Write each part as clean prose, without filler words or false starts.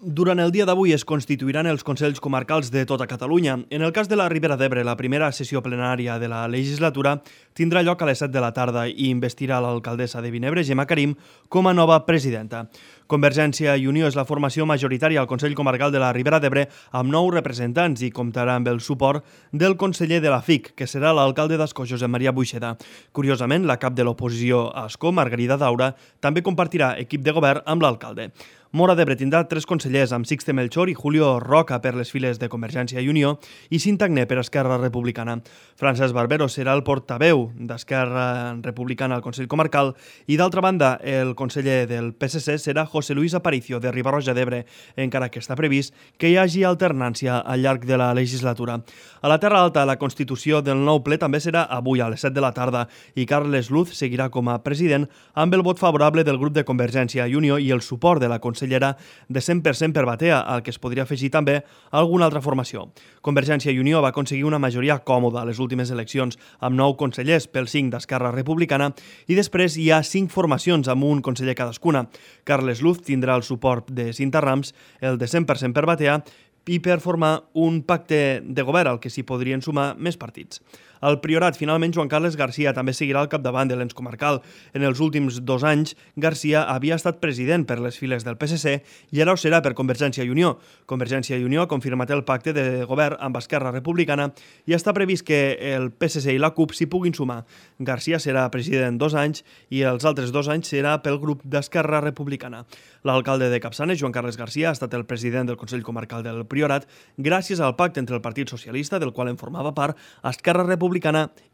Durant el dia d'avui es constituiran els Consells Comarcals de tota Catalunya. En el cas de la Ribera d'Ebre, la primera sessió plenària de la legislatura tindrà lloc a les 7 de la tarda i investirà l'alcaldessa de Vinebre, Gemma Karim, com a nova presidenta. Convergència i Unió és la formació majoritària al Consell Comarcal de la Ribera d'Ebre amb 9 representants i comptarà amb el suport del conseller de la FIC, que serà l'alcalde d'Ascó, Josep Maria Buixeda. Curiosament, la cap de l'oposició a Ascó, Margarida Daura, també compartirà equip de govern amb l'alcalde. Móra d'Ebre tindrà 3 consellers, amb Sixte Melchor i Julio Roca per les files de Convergència i Unió i Sintagné per Esquerra Republicana. Francesc Barbero serà el portaveu d'Esquerra Republicana al Consell Comarcal i, d'altra banda, el conseller del PSC serà José Luis Aparicio, de Riba-roja d'Ebre, encara que està previst que hi hagi alternància al llarg de la legislatura. A la Terra Alta, la constitució del nou ple també serà avui a les 7 de la tarda i Carles Luz seguirà com a president amb el vot favorable del grup de Convergència i Unió i el suport de la consellera de 100% per Batea, al que es podria afegir també alguna altra formació. Convergència i Unió va aconseguir una majoria còmoda a les últimes eleccions, amb 9 consellers pel 5 d'Esquerra Republicana, i després hi ha 5 formacions amb un conseller cadascuna. Carles Luz tindrà el suport de Cinta Rams, el de 100% per Batea, i per formar un pacte de govern al que s'hi podrien sumar més partits. Al Priorat, finalment, Joan Carles Garcia també seguirà al capdavant de l'ens comarcal. En els últims 2 anys, Garcia havia estat president per les files del PSC i ara ho serà per Convergència i Unió. Convergència i Unió ha confirmat el pacte de govern amb Esquerra Republicana i està previst que el PSC i la CUP s'hi puguin sumar. Garcia serà president 2 anys i els altres 2 anys serà pel grup d'Esquerra Republicana. L'alcalde de Capçanes, Joan Carles Garcia, ha estat el president del Consell Comarcal del Priorat gràcies al pacte entre el Partit Socialista, del qual en formava part, Esquerra Republicana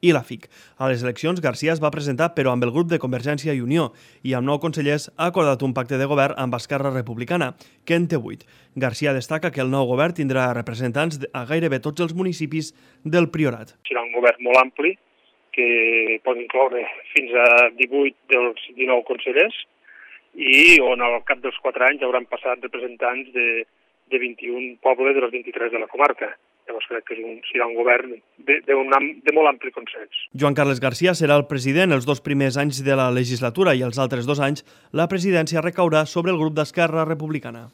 i la FIC. A les eleccions, Garcia es va presentar però amb el grup de Convergència i Unió i amb 9 consellers ha acordat un pacte de govern amb Esquerra Republicana, que en té 8. Garcia destaca que el nou govern tindrà representants a gairebé tots els municipis del Priorat. Serà un govern molt ampli que pot incloure fins a 18 dels 19 consellers i on al cap dels 4 anys hauran passat representants de 21 pobles de les 23 de la comarca. Llavors crec que serà un govern de molt ampli consens. Joan Carles Garcia serà el president els 2 primers anys de la legislatura i els altres 2 anys la presidència recaurà sobre el grup d'Esquerra Republicana.